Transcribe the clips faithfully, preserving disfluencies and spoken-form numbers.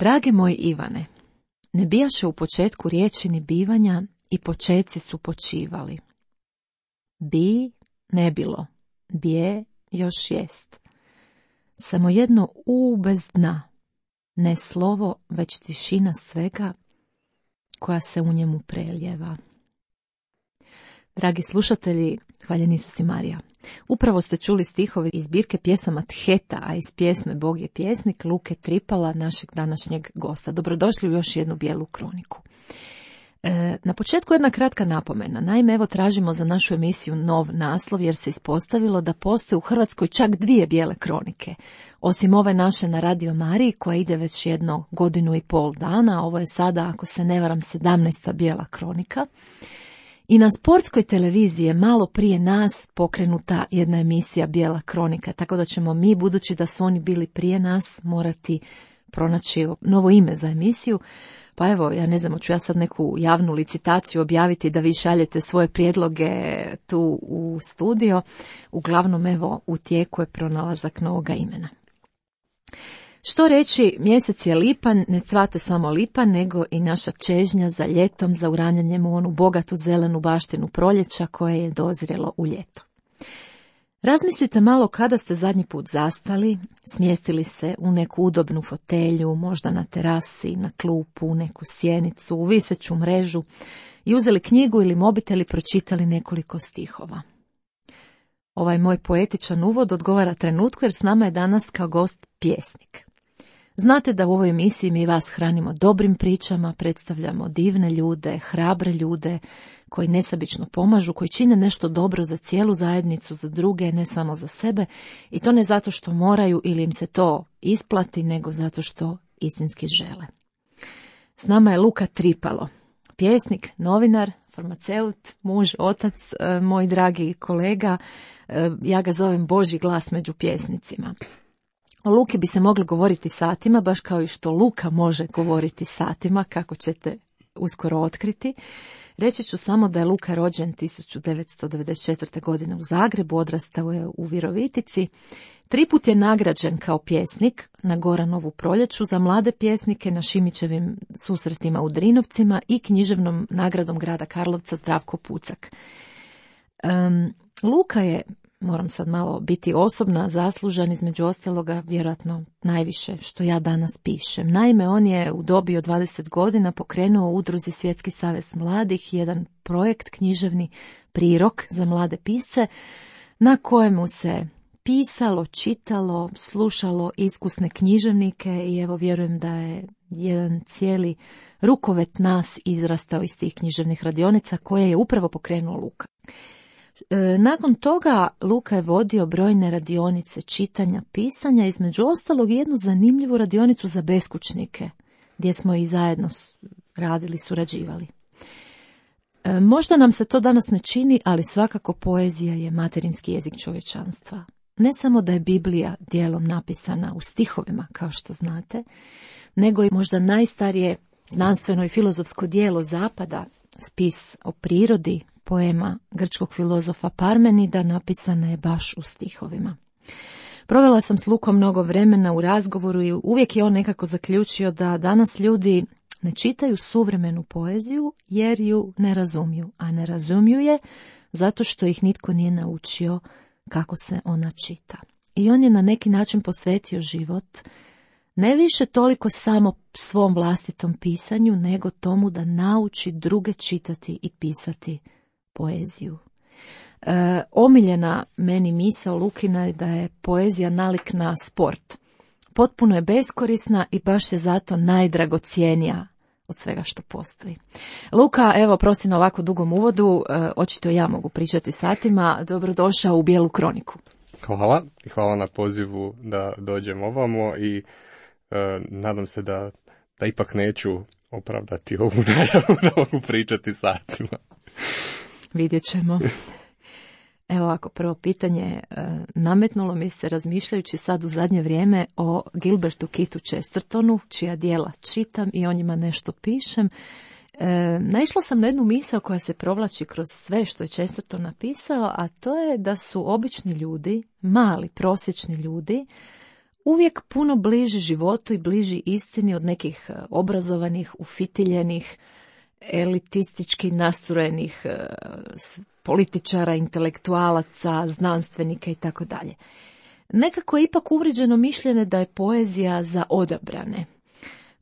Drage moj Ivane, ne bijaše u početku riječi ni bivanja i počeci su počivali. Bi ne bilo, bje još jest. Samo jedno u bez dna, ne slovo, već tišina svega koja se u njemu preljeva. Dragi slušatelji, hvaljeni Isus i Marija. Upravo ste čuli stihove iz zbirke pjesama Theta, a iz pjesme Bog je pjesnik Luke Tripala, našeg današnjeg gosta. Dobrodošli u još jednu bijelu kroniku. E, na početku jedna kratka napomena. Naime, evo tražimo za našu emisiju nov naslov jer se ispostavilo da postoje u Hrvatskoj čak dvije bijele kronike. Osim ove naše na Radio Mariji koja ide već jedno godinu i pol dana, ovo je sada, ako se ne varam, sedamnaesta bijela kronika. I na sportskoj televiziji je malo prije nas pokrenuta jedna emisija Bijela kronika, tako da ćemo mi, budući da su oni bili prije nas, morati pronaći novo ime za emisiju. Pa evo, ja ne znam, hoću ja sad neku javnu licitaciju objaviti da vi šaljete svoje prijedloge tu u studio. Uglavnom, evo, u tijeku je pronalazak novoga imena. Što reći, mjesec je lipan, ne cvate samo lipan, nego i naša čežnja za ljetom, za uranjanjem u onu bogatu zelenu baštinu proljeća koje je dozrjelo u ljeto. Razmislite malo kada ste zadnji put zastali, smjestili se u neku udobnu fotelju, možda na terasi, na klupu, u neku sjenicu, u viseću mrežu i uzeli knjigu ili mobitel i pročitali nekoliko stihova. Ovaj moj poetičan uvod odgovara trenutku jer s nama je danas kao gost pjesnik. Znate da u ovoj emisiji mi vas hranimo dobrim pričama, predstavljamo divne ljude, hrabre ljude koji nesebično pomažu, koji čine nešto dobro za cijelu zajednicu, za druge, ne samo za sebe, i to ne zato što moraju ili im se to isplati, nego zato što istinski žele. S nama je Luka Tripalo, pjesnik, novinar, farmaceut, muž, otac, moj dragi kolega, ja ga zovem Božji glas među pjesnicima. O Luki bi se moglo govoriti satima, baš kao i što Luka može govoriti satima, kako ćete uskoro otkriti. Reći ću samo da je Luka rođen tisuću devetsto devedeset četvrte. godine u Zagrebu, odrastao je u Virovitici. Triput je nagrađen kao pjesnik na Goranovu proljeću za mlade pjesnike, na Šimićevim susretima u Drinovcima i književnom nagradom grada Karlovca Zdravko Pucak. Um, Luka je, moram sad malo biti osobna, zaslužan između ostaloga vjerojatno najviše što ja danas pišem. Naime, on je u dobi od dvadeset godina pokrenuo u udruzi Svjetski savez mladih jedan projekt književni prirok za mlade pisce na kojemu se pisalo, čitalo, slušalo iskusne književnike i evo vjerujem da je jedan cijeli rukovet nas izrastao iz tih književnih radionica koje je upravo pokrenuo Luka. Nakon toga Luka je vodio brojne radionice čitanja, pisanja, između ostalog jednu zanimljivu radionicu za beskućnike, gdje smo i zajedno radili, surađivali. Možda nam se to danas ne čini, ali svakako poezija je materinski jezik čovječanstva. Ne samo da je Biblija dijelom napisana u stihovima, kao što znate, nego i možda najstarije znanstveno i filozofsko djelo Zapada, spis o prirodi, poema grčkog filozofa Parmenida, napisana je baš u stihovima. Provela sam s Lukom mnogo vremena u razgovoru i uvijek je on nekako zaključio da danas ljudi ne čitaju suvremenu poeziju jer ju ne razumiju, a ne razumiju je zato što ih nitko nije naučio kako se ona čita. I on je na neki način posvetio život ne više toliko samo svom vlastitom pisanju, nego tomu da nauči druge čitati i pisati poeziju. E, omiljena meni misao Lukina je da je poezija nalik na sport. Potpuno je beskorisna i baš je zato najdragocjenija od svega što postoji. Luka, evo, prosti na ovako dugom uvodu, e, očito ja mogu pričati satima, dobrodošao u Bijelu kroniku. Hvala i hvala na pozivu da dođem ovamo i e, nadam se da, da ipak neću opravdati ovu najavu da mogu pričati satima. Vidjet ćemo. Evo ovako, prvo pitanje, nametnulo mi se razmišljajući sad u zadnje vrijeme o Gilbertu Keithu Chestertonu, čija djela čitam i o njima nešto pišem. E, naišla sam na jednu misao koja se provlači kroz sve što je Chesterton napisao, a to je da su obični ljudi, mali, prosječni ljudi, uvijek puno bliži životu i bliži istini od nekih obrazovanih, ufitiljenih, elitistički nastrojenih političara, intelektualaca, znanstvenika i tako dalje. Nekako je ipak uvrijeđeno mišljenje da je poezija za odabrane,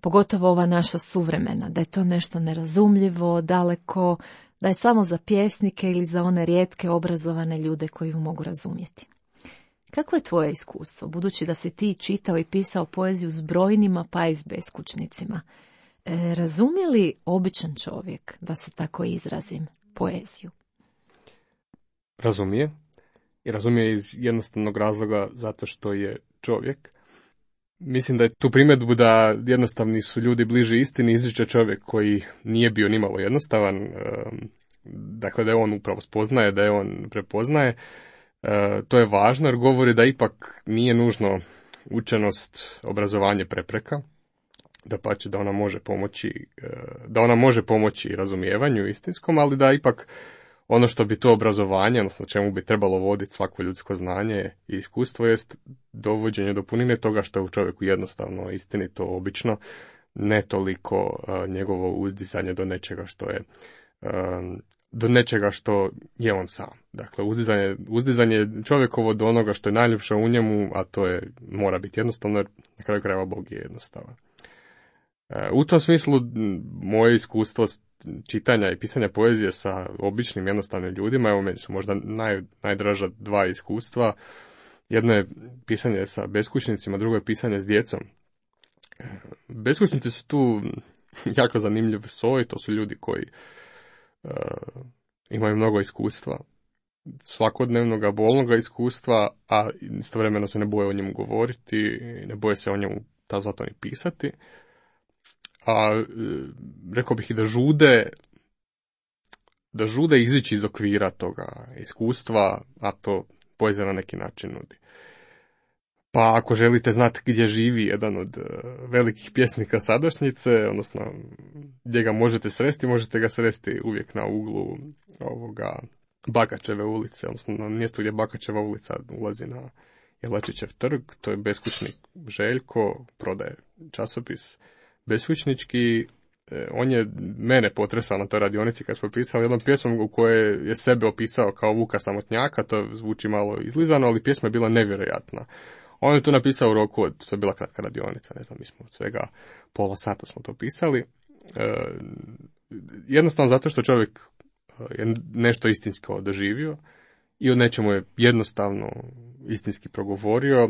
pogotovo ova naša suvremena, da je to nešto nerazumljivo, daleko, da je samo za pjesnike ili za one rijetke obrazovane ljude koji ju mogu razumjeti. Kako je tvoje iskustvo, budući da si ti čitao i pisao poeziju s brojnima pa i s beskućnicima? E, razumije li običan čovjek, da se tako izrazim, poeziju? Razumije. I razumije iz jednostavnog razloga zato što je čovjek. Mislim da je tu primjedbu da jednostavni su ljudi bliži istini izriče čovjek koji nije bio nimalo jednostavan, dakle da je on upravo spoznaje, da je on prepoznaje. To je važno jer govori da ipak nije nužno učenost, obrazovanje prepreka, dapače da ona može pomoći, da ona može pomoći razumijevanju istinskom, ali da ipak ono što bi to obrazovanje, odnosno čemu bi trebalo voditi svako ljudsko znanje i iskustvo, jest dovođenje do punine toga što je u čovjeku jednostavno istinito, obično, ne toliko uh, njegovo uzdizanje do nečega što je um, do nečega što je on sam. Dakle, uzdizanje, uzdizanje čovjekovo do onoga što je najljepše u njemu, a to je mora biti jednostavno, jer na kraju krajeva Bog je jednostavan. Uh, u tom smislu moje iskustvo čitanja i pisanja poezije sa običnim jednostavnim ljudima, evo meni su možda naj, najdraža dva iskustva. Jedno je pisanje sa beskućnicima, drugo je pisanje s djecom. Beskućnici su tu jako zanimljiv soj, to su ljudi koji uh, imaju mnogo iskustva, svakodnevnog bolnog iskustva, a istovremeno se ne boje o njemu govoriti, ne boje se o njemu ta zato ni pisati. A rekao bih i da žude, da žude izići iz okvira toga iskustva, a to poezija na neki način nudi. Pa ako želite znati gdje živi jedan od velikih pjesnika sadašnjice, odnosno gdje ga možete sresti, možete ga sresti uvijek na uglu ovoga Bakačeve ulice, odnosno na mjestu gdje Bakačeva ulica ulazi na Jelačićev trg, to je beskućnik Željko, prodaje časopis beskućnički. On je mene potresao na toj radionici kad smo pisali jednom pjesmom u kojoj je sebe opisao kao Vuka samotnjaka, to zvuči malo izlizano, ali pjesma je bila nevjerojatna. On je to napisao u roku od, to je bila kratka radionica, ne znam, mi smo od svega pola sata smo to pisali. E, jednostavno zato što čovjek je nešto istinsko doživio i od nečemu je jednostavno istinski progovorio.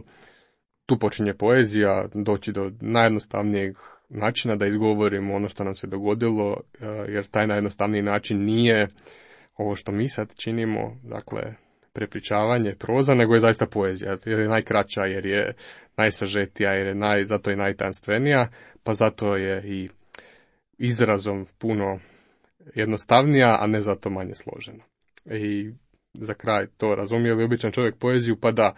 Tu počinje poezija, doći do najjednostavnijeg načina da izgovorimo ono što nam se dogodilo, jer taj najjednostavniji način nije ovo što mi sad činimo, dakle prepričavanje, proza, nego je zaista poezija, jer je najkraća, jer je najsažetija, jer je naj, zato je najtanstvenija, pa zato je i izrazom puno jednostavnija, a ne zato manje složena. I za kraj to razumije li običan čovjek poeziju, pa da,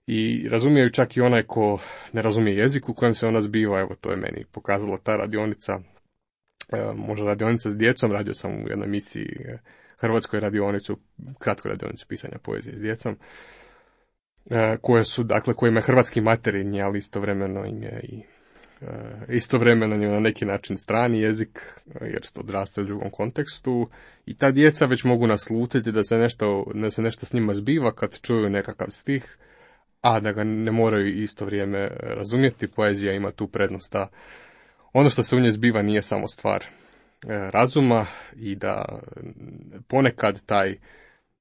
i razumije čak i onaj ko ne razumije jezik u kojem se ona zbiva. Evo, to je meni pokazala ta radionica, e, možda radionica s djecom, radio sam u jednoj emisiji Hrvatskoj radionicu, kratku radionicu pisanja poezije s djecom, e, koje su, dakle, kojima je hrvatski materinji, ali istovremeno im je i e, istovremeno im je na neki način strani jezik, jer odrastaju u drugom kontekstu, i ta djeca već mogu naslutiti da se nešto, da se nešto s njima zbiva kad čuju nekakav stih, a da ga ne moraju isto vrijeme razumjeti. Poezija ima tu prednost da ono što se u njoj zbiva nije samo stvar razuma i da ponekad taj,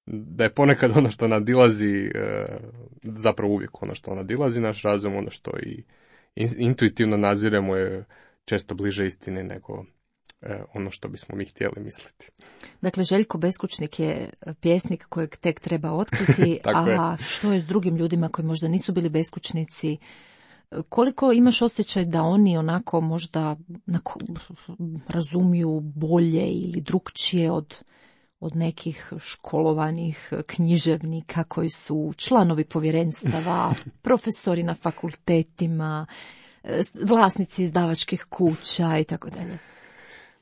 da je ponekad ono što nadilazi, zapravo uvijek ono što nadilazi naš razum, ono što i intuitivno naziremo je često bliže istine nego ono što bismo mi htjeli misliti. Dakle, Željko Beskućnik je pjesnik kojeg tek treba otkriti, a je. Što je s drugim ljudima koji možda nisu bili beskućnici? Koliko imaš osjećaj da oni onako možda onako razumiju bolje ili drukčije od, od nekih školovanih književnika koji su članovi povjerenstava, profesori na fakultetima, vlasnici izdavačkih kuća i tako dalje?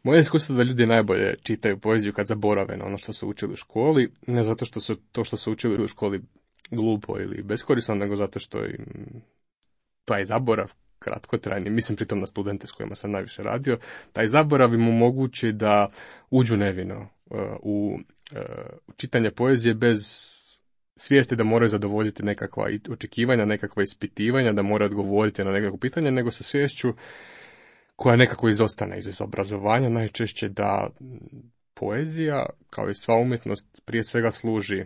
Moje iskustvo je da ljudi najbolje čitaju poeziju kad zaborave na ono što su učili u školi, ne zato što su to što su učili u školi glupo ili beskorisno, nego zato što im taj zaborav kratkotrajni, mislim pritom na studente s kojima sam najviše radio, taj zaborav im omogući da uđu nevino uh, u uh, čitanje poezije bez svijesti da moraju zadovoljiti nekakva očekivanja, nekakva ispitivanja, da moraju odgovoriti na nekakvo pitanje, nego sa sviješću koja nekako izostane iz obrazovanja, najčešće da poezija, kao i sva umjetnost, prije svega služi,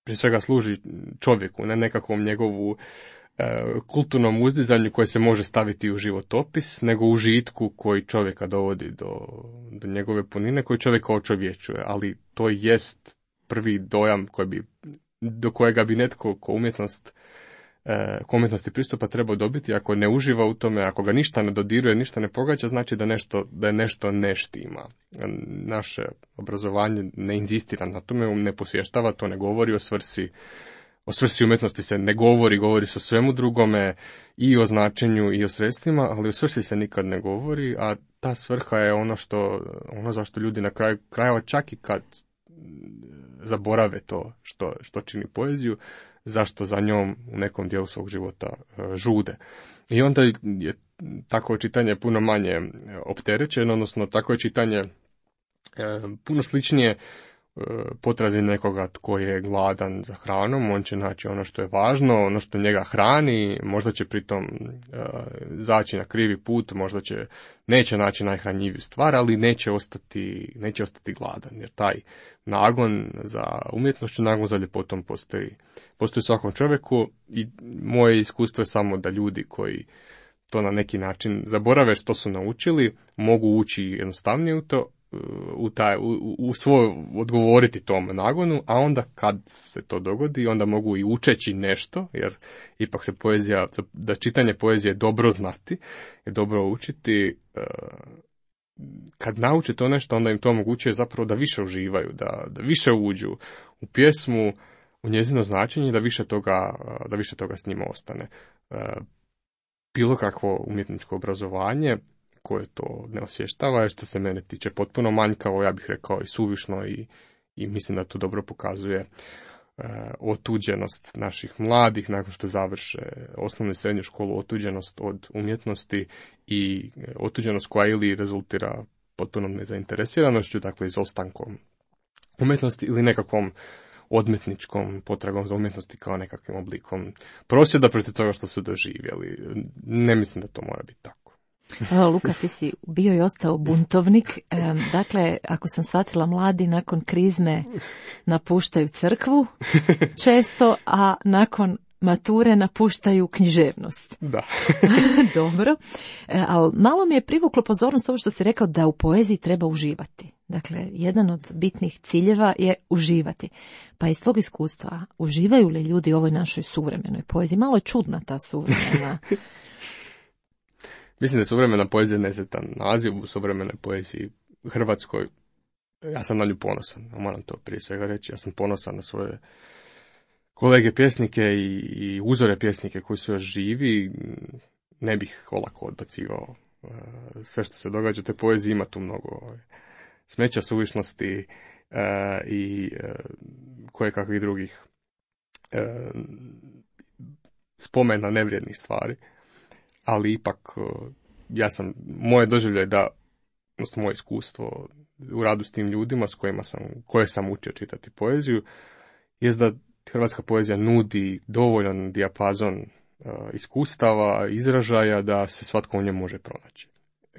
prije svega služi čovjeku, ne nekakvom njegovu e, kulturnom uzdizanju koje se može staviti u životopis, nego u užitku koji čovjeka dovodi do, do njegove punine, koji čovjeka očovječuje, ali to jest prvi dojam koji bi, do kojega bi netko ko umjetnost ko umjetnosti pristupa treba dobiti. Ako ne uživa u tome, ako ga ništa ne dodiruje, ništa ne pogađa, znači da, nešto, da je nešto ne štima. Naše obrazovanje ne inzistira na tome, ne posvještava, to ne govori o svrsi. O svrsi umjetnosti se ne govori, govori se o svemu drugome, i o značenju i o sredstvima, ali o svrsi se nikad ne govori, a ta svrha je ono što, ono zašto ljudi na kraju krajeva, čak i kad zaborave to što, što čini poeziju, zašto za njom u nekom dijelu svog života e, žude. I onda je takvo čitanje puno manje opterećeno, odnosno takvo je čitanje e, puno sličnije e, potrazi nekoga tko je gladan za hranom. On će naći ono što je važno, ono što njega hrani, možda će pritom e, zaći na krivi put, možda će, neće naći najhranjiviju stvar, ali neće ostati, neće ostati gladan, jer taj nagon za umjetnošću, nagon za ljepotom postoji, postoji u svakom čovjeku, i moje iskustvo je samo da ljudi koji to na neki način zaborave što su naučili, mogu ući jednostavnije u to, u, taj, u, u svoj odgovoriti tom nagonu, a onda kad se to dogodi, onda mogu i učeći nešto, jer ipak se poezija, da čitanje poezije je dobro znati, je dobro učiti. Kad nauče to nešto, onda im to omogućuje zapravo da više uživaju, da, da više uđu u pjesmu, u njezino značenje, da više toga, da više toga s njima ostane. Bilo kakvo umjetničko obrazovanje koje to ne osvještava je, što se mene tiče, potpuno manjkavo, ja bih rekao i suvišno, i, i mislim da to dobro pokazuje e, otuđenost naših mladih nakon što završe osnovnu i srednju školu, otuđenost od umjetnosti i otuđenost koja ili rezultira potpunom nezainteresiranošću, dakle izostankom umjetnosti ili nekakvom odmetničkom potragom za umjetnosti kao nekakvim oblikom prosvjeda protiv toga što su doživjeli. Ne mislim da to mora biti tako. Evo, Luka, ti si bio i ostao buntovnik. E, dakle, ako sam shvatila, mladi nakon krizme napuštaju crkvu često, a nakon mature napuštaju književnost. Da. Dobro. E, ali malo mi je privuklo pozornost ovo što si rekao da u poeziji treba uživati. Dakle, jedan od bitnih ciljeva je uživati. Pa iz svog iskustva, uživaju li ljudi u ovoj našoj suvremenoj poeziji? Malo je čudna ta suvremena. Mislim da je suvremena poezija nesretan naziv. U suvremenoj poeziji hrvatskoj, ja sam na nju ponosan, moram to prije svega reći, ja sam ponosan na svoje kolege pjesnike i, i uzore pjesnike koji su još živi. Ne bih olako odbacivao uh, sve što se događa u toj poeziji, ima tu mnogo uh, smeća, suvišnosti uh, i uh, koje kakvih drugih uh, spomena nevrijednih stvari. Ali ipak, ja sam, moje doživlje da, odnosno moje iskustvo u radu s tim ljudima s kojima sam, koje sam učio čitati poeziju, jest da hrvatska poezija nudi dovoljan dijapazon uh, iskustava, izražaja, da se svatko u njemu može pronaći.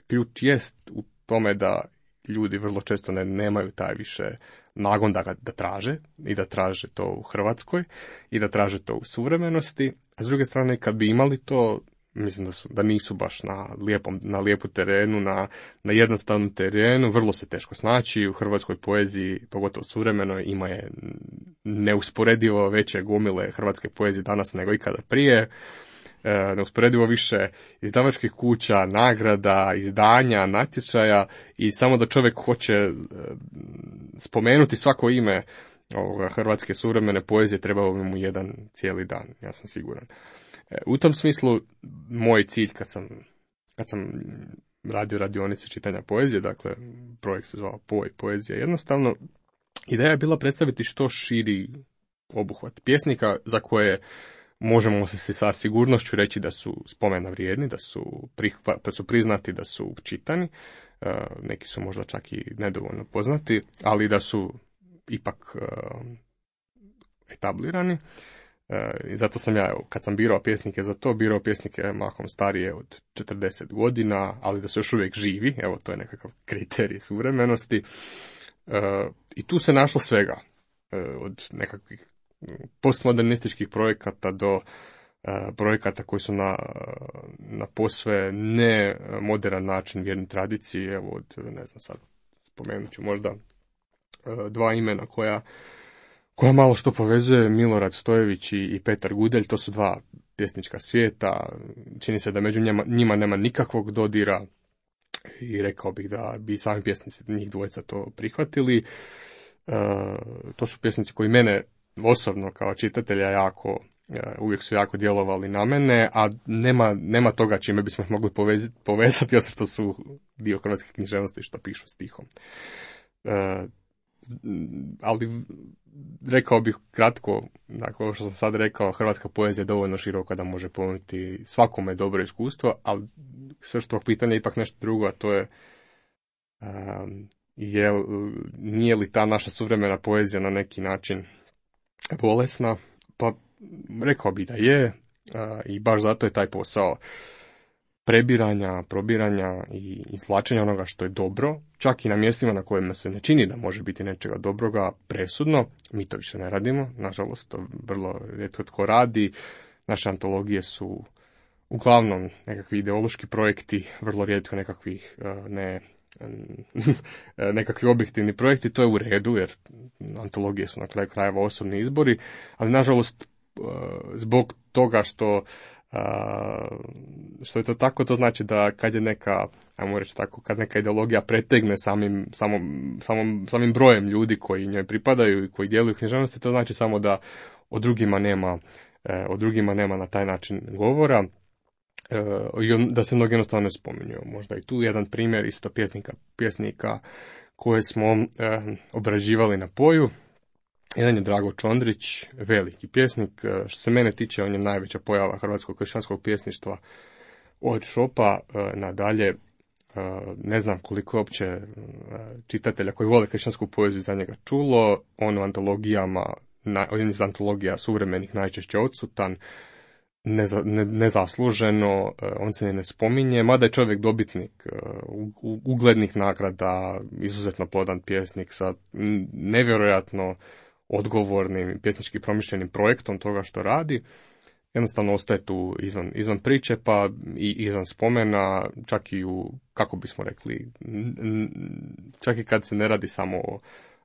Ključ jest u tome da ljudi vrlo često ne, nemaju taj više nagon da ga da traže, i da traže to u Hrvatskoj, i da traže to u suvremenosti, a s druge strane, kad bi imali to, mislim da, su, da nisu baš na lijepom, na lijepu terenu, na, na jednostavnom terenu, vrlo se teško snaći. U hrvatskoj poeziji, pogotovo suvremenoj, ima je neusporedivo veće gomile hrvatske poezije danas nego ikada prije. E, neusporedivo više izdavačkih kuća, nagrada, izdanja, natječaja, i samo da čovjek hoće e, spomenuti svako ime ovoga hrvatske suvremene poezije, trebao bi mu jedan cijeli dan, ja sam siguran. U tom smislu, moj cilj kad sam, kad sam radio radionice čitanja poezije, dakle, projekt se zvao Po i poezija jednostavno, ideja je bila predstaviti što širi obuhvat pjesnika za koje možemo se sa sigurnošću reći da su spomena vrijedni, da su, prihva, da su priznati, da su čitani, neki su možda čak i nedovoljno poznati, ali da su ipak etablirani. I zato sam ja, kad sam birao pjesnike za to, birao pjesnike mahom starije od četrdeset godina, ali da su još uvijek živi, evo to je nekakav kriterij suvremenosti. I tu se našlo svega, od nekakvih postmodernističkih projekata do projekata koji su na, na posve ne moderan način vjerni tradiciji. Evo od, ne znam sad, spomenut ću možda dva imena koja, koja malo što povezuje, Milorad Stojević i, i Petar Gudelj. To su dva pjesnička svijeta, čini se da među njima, njima nema nikakvog dodira i rekao bih da bi sami pjesnici njih dvojica to prihvatili. E, to su pjesnici koji mene osobno kao čitatelja jako, uvijek su jako djelovali na mene, a nema, nema toga čime bismo ih mogli povezati, povezati osim što su dio hrvatske književnosti što pišu stihom. E, ali rekao bih kratko, dakle ovo što sam sad rekao, hrvatska poezija je dovoljno široka da može ponuditi svakome dobro iskustvo, ali sve što pitanje je ipak nešto drugo, a to je um, je, nije li ta naša suvremena poezija na neki način bolesna? Pa rekao bi da je, a, i baš zato je taj posao prebiranja, probiranja i izvlačenja onoga što je dobro, čak i na mjestima na kojima se ne čini da može biti nečega dobroga, presudno. Mi to više ne radimo, nažalost, to vrlo rijetko tko radi. Naše antologije su uglavnom nekakvi ideološki projekti, vrlo rijetko nekakvih ne, nekakvi objektivni projekti. To je u redu, jer antologije su na kraju krajeva osobni izbori, ali nažalost zbog toga što što je to tako, to znači da kad je neka, ajmo reći tako, kad neka ideologija pretegne samim, samom, samom, samim brojem ljudi koji njoj pripadaju i koji djeluju u književnosti, to znači samo da o drugima nema, o drugima nema na taj način govora, i da se mnogo jednostavno ne spominju. Možda i tu jedan primjer isto pjesnika, pjesnika koje smo obrađivali na Poju. Jedan je Drago Čondrić, veliki pjesnik. Što se mene tiče, on je najveća pojava hrvatskog kršćanskog pjesništva od Šopa nadalje. Ne znam koliko je uopće čitatelja koji vole kršćansku poeziju za njega čulo. On u antologijama, on iz antologija suvremenih najčešće odsutan, neza, ne, nezasluženo, on se ne spominje, mada je čovjek dobitnik uglednih nagrada, izuzetno plodan pjesnik sa nevjerojatno odgovornim pjesnički promišljenim projektom toga što radi. Jednostavno ostaje tu izvan, izvan priče, pa i izvan spomena, čak i u, kako bismo rekli, čak i kad se ne radi samo o,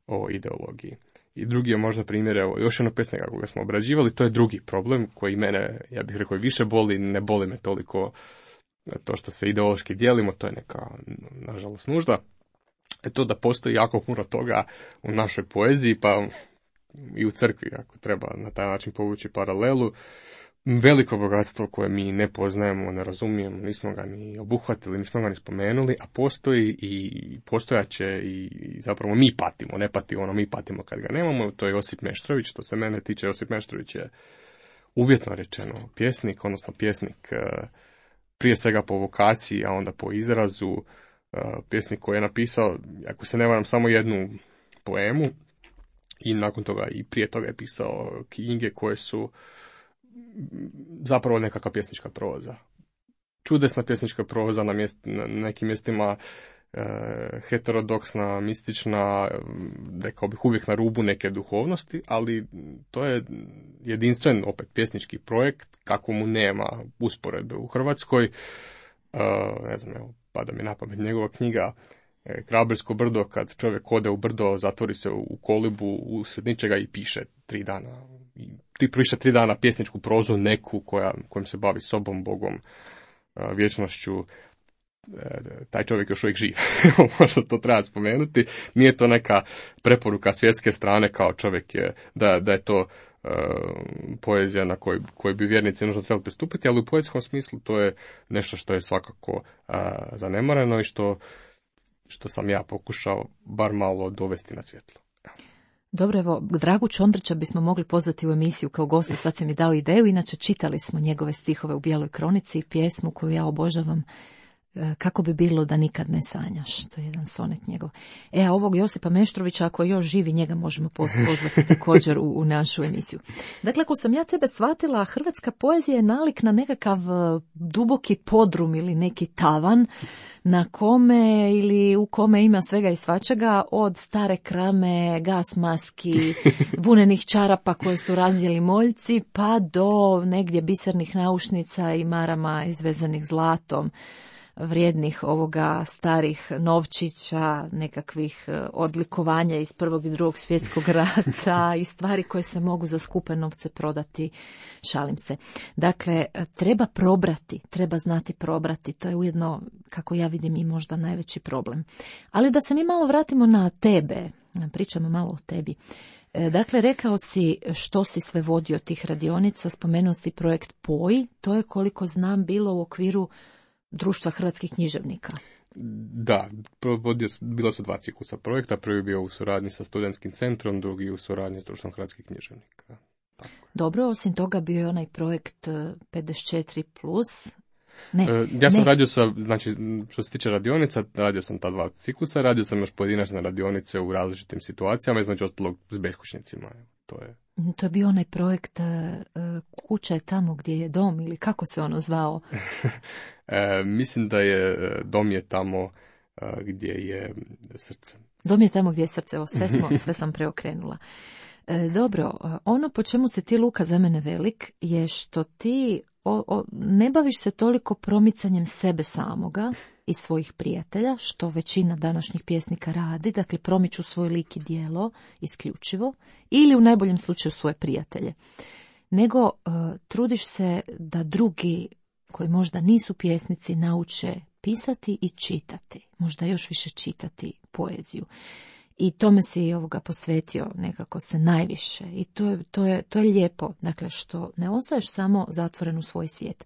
o ideologiji. I drugi je možda primjer, evo, još jedno pjesnika koga smo obrađivali, to je drugi problem koji mene, ja bih rekao, više boli, ne boli me toliko to što se ideološki dijelimo, to je neka, nažalost, nužda. Je to da postoji jako puno toga u našoj poeziji, pa i u crkvi, ako treba na taj način povući paralelu, veliko bogatstvo koje mi ne poznajemo, ne razumijemo, nismo ga ni obuhvatili, nismo ga ni spomenuli, a postoji i postojaće i zapravo mi patimo, ne patimo, ono mi patimo kad ga nemamo, to je Josip Meštrović. Što se mene tiče, Josip Meštrović je uvjetno rečeno pjesnik, odnosno pjesnik prije svega po vokaciji, a onda po izrazu, pjesnik koji je napisao, ako se ne varam, samo jednu poemu i nakon toga i prije toga je pisao knjige koje su zapravo nekakva pjesnička proza. Čudesna pjesnička proza, na, mjest, na nekim mjestima e, heterodoksna, mistična, rekao bih uvijek na rubu neke duhovnosti, ali to je jedinstven opet pjesnički projekt, kako mu nema usporedbe u Hrvatskoj. E, ne znam, evo, pada mi na pamet njegova knjiga Krabersko brdo, kad čovjek ode u brdo, zatvori se u kolibu usred ničega i piše tri dana. I ti piše tri dana pjesničku prozu neku koja, kojom se bavi sobom, Bogom, vječnošću. Taj čovjek još uvijek živ. Možda to treba spomenuti. Nije to neka preporuka svjetske strane kao čovjek je, da, da je to uh, poezija na kojoj, kojoj bi vjernici nužno trebali pristupiti, ali u poetskom smislu to je nešto što je svakako uh, zanemareno i što što sam ja pokušao bar malo dovesti na svjetlo. Dobro, evo, Dragu Čondrića bismo mogli pozvati u emisiju kao gosta, sad se mi dao ideju, inače čitali smo njegove stihove u Bijeloj kronici i pjesmu koju ja obožavam, Kako bi bilo da nikad ne sanjaš. To je jedan sonet njegov. E, a ovog Josipa Meštrovića, ako još živi, njega možemo pozvati također u, u našu emisiju. Dakle, ako sam ja tebe shvatila, hrvatska poezija je nalik na nekakav duboki podrum ili neki tavan na kome ili u kome ima svega i svačega, od stare krame, gas maski, vunenih čarapa koje su razdjeli moljci, pa do negdje bisernih naušnica i marama izvezanih zlatom, vrijednih ovoga starih novčića, nekakvih odlikovanja iz prvog i drugog svjetskog rata i stvari koje se mogu za skupe novce prodati, šalim se. Dakle, treba probrati, treba znati probrati, to je ujedno, kako ja vidim, i možda najveći problem. Ali da se mi malo vratimo na tebe, pričamo malo o tebi. Dakle, rekao si što si sve vodio tih radionica, spomenuo si projekt P O I, to je, koliko znam, bilo u okviru Društva hrvatskih književnika. Da, provodio, bila su dva ciklusa projekta. Prvi je bio u suradnji sa studentskim centrom, drugi u suradnji s Društvom hrvatskih književnika. Tako. Dobro, osim toga bio je onaj projekt pedeset četiri plus. Ne, e, ja sam ne. radio sa, znači, što se tiče radionica, radio sam ta dva ciklusa, radio sam još pojedinačne radionice u različitim situacijama, između ostalog s beskućnicima. To je To je bio onaj projekt uh, Kuća je tamo gdje je dom, ili kako se ono zvao? e, mislim da je dom je tamo uh, gdje je srce. Dom je tamo gdje je srce, o, sve, smo, sve sam preokrenula. E, dobro, ono po čemu se ti, Luka, za mene velik je što ti o, o, ne baviš se toliko promicanjem sebe samoga i svojih prijatelja, što većina današnjih pjesnika radi, dakle promiču svoj lik i djelo isključivo, ili u najboljem slučaju svoje prijatelje. Nego uh, trudiš se da drugi koji možda nisu pjesnici nauče pisati i čitati, možda još više čitati poeziju. I tome si ovoga posvetio nekako se najviše. I to je, to je, to je lijepo, dakle, što ne ostaješ samo zatvoren u svoj svijet.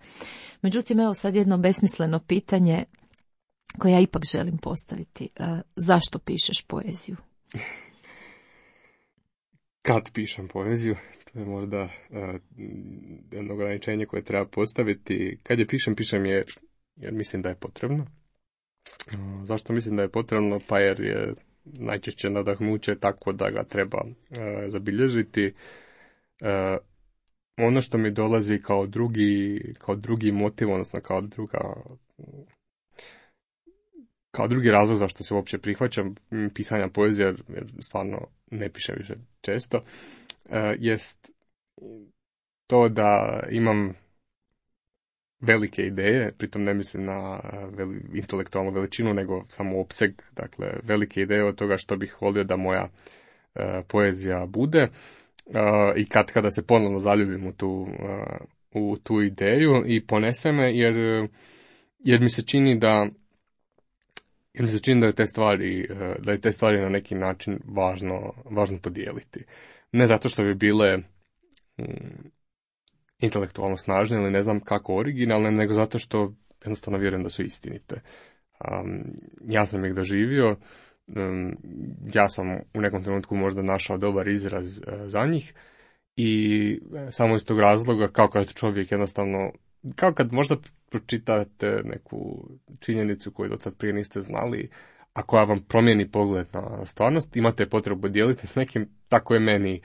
Međutim, evo sad jedno besmisleno pitanje koje ja ipak želim postaviti. Uh, zašto pišeš poeziju? Kad pišem poeziju, to je možda uh, jedno ograničenje koje treba postaviti. Kad je pišem, pišem jer, jer mislim da je potrebno. Uh, zašto mislim da je potrebno? Pa jer je najčešće nadahnuće tako da ga treba uh, zabilježiti. Uh, ono što mi dolazi kao drugi, kao drugi motiv, odnosno kao druga... Kao drugi razlog zašto se uopće prihvaćam pisanja poezije, jer stvarno ne pišem više često, jest to da imam velike ideje, pritom ne mislim na veli, intelektualnu veličinu, nego samo opseg, dakle velike ideje od toga što bih volio da moja poezija bude, i kad kada se ponovno zaljubim u tu, u tu ideju i ponese me, jer, jer mi se čini da Jer mi se čini da je te stvari, da je te stvari na neki način važno, važno podijeliti. Ne zato što bi bile mm, intelektualno snažne ili ne znam kako originalne, nego zato što jednostavno vjerujem da su istinite. Um, ja sam ih doživio, um, ja sam u nekom trenutku možda našao dobar izraz uh, za njih i samo iz tog razloga, kao kad čovjek jednostavno, kao kad možda pročitate neku činjenicu koju do tad prije niste znali, a koja vam promijeni pogled na stvarnost, imate potrebu dijeliti s nekim, tako je meni,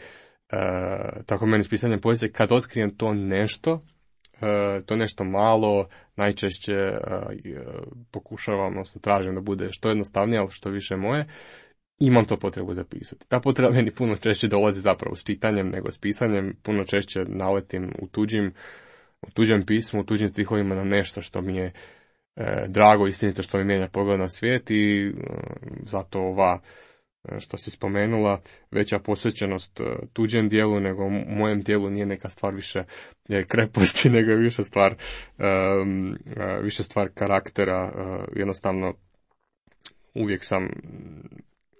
uh, tako je meni s pisanjem poezije, kad otkrijem to nešto, uh, to nešto malo, najčešće uh, pokušavam, odnosno tražim da bude što jednostavnije, ali što više moje, imam to potrebu zapisati. Ta potreba meni puno češće dolazi zapravo s čitanjem nego s pisanjem, puno češće naletim u tuđim u tuđem pismu, u tuđim stihovima na nešto što mi je e, drago, istinito, što mi mijenja pogled na svijet i e, zato ova, e, što si spomenula, veća posvećenost e, tuđem dijelu nego mojem dijelu nije neka stvar više je kreposti, nego je više stvar, e, e, više stvar karaktera. E, jednostavno, uvijek sam,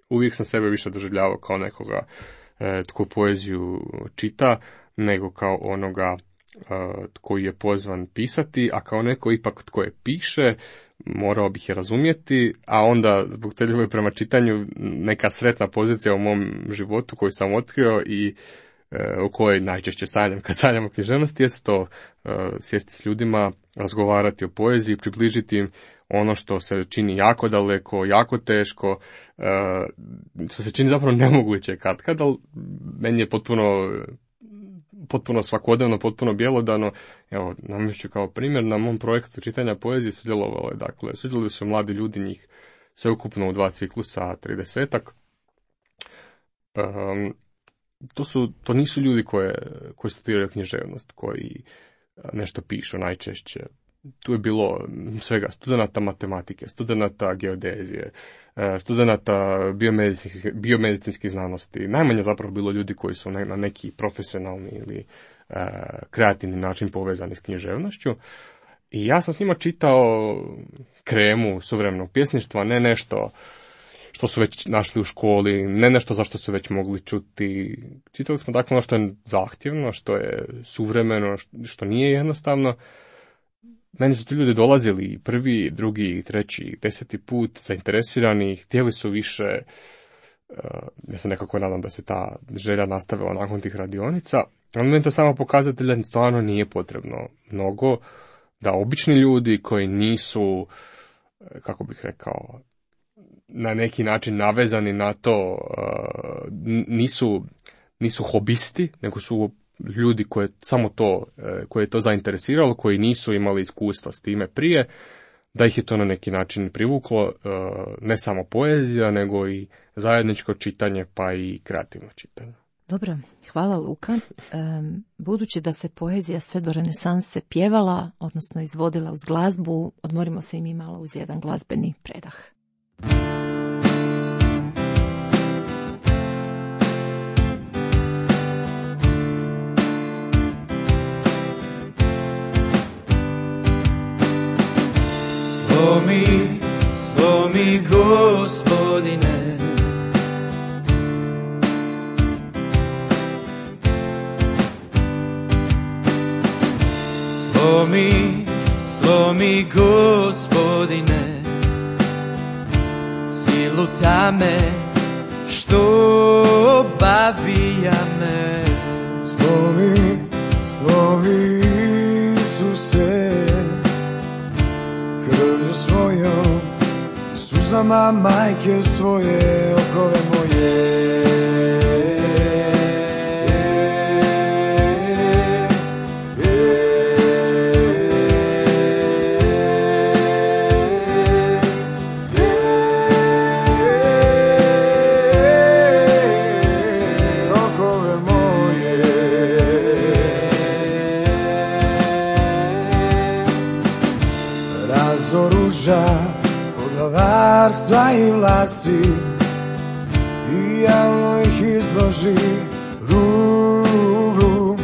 uvijek sam sebe više doživljavao kao nekoga e, tko poeziju čita, nego kao onoga Uh, koji je pozvan pisati, a kao neko ipak tko je piše, morao bih je razumjeti, a onda zbog te ljubavi prema čitanju neka sretna pozicija u mom životu koju sam otkrio i u kojoj najčešće sanjam kad sanjam o književnosti, jest to uh, sjesti s ljudima, razgovarati o poeziji, približiti im ono što se čini jako daleko, jako teško, uh, što se čini zapravo nemoguće katkad, ali meni je potpuno, potpuno svakodnevno, potpuno bjelodano. Evo, navešću kao primjer, na mom projektu čitanja poezije sudjelovalo je, dakle, sudjelovali su mladi ljudi, njih sveukupno u dva ciklusa, tridesetak. Um, To su, to nisu ljudi koje, koji studiraju književnost, koji nešto pišu najčešće. Tu je bilo svega studenata matematike, studenata geodezije, studenata biomedicinskih, biomedicinskih znanosti. Najmanje zapravo bilo ljudi koji su na neki profesionalni ili kreativni način povezani s književnošću. I ja sam s njima čitao kremu suvremenog pjesništva, ne nešto što su već našli u školi, ne nešto za što su već mogli čuti. Čitali smo dakle ono što je zahtjevno, što je suvremeno, što nije jednostavno. Meni su ti ljudi dolazili prvi, drugi, treći, deseti put, zainteresirani, htjeli su više. Ja se nekako nadam da se ta želja nastavila nakon tih radionica. Ali meni to samo pokazatelj da stvarno nije potrebno mnogo, da obični ljudi koji nisu, kako bih rekao, na neki način navezani na to, nisu, nisu hobisti, nego su ljudi koje samo to, koje je to zainteresiralo, koji nisu imali iskustva s time prije, da ih je to na neki način privuklo, ne samo poezija, nego i zajedničko čitanje, pa i kreativno čitanje. Dobro, hvala Luka. Budući da se poezija sve do renesanse pjevala, odnosno izvodila uz glazbu, odmorimo se i mi malo uz jedan glazbeni predah. Slomi, slomi Gospodine, slomi, slomi Gospodine, silu tame što obavija me. Slomi, slomi Isuse, krvlju svojom, suzama majke svoje, okove moje. Poglavarstva i vlasti, i javno ih izloži ruglu,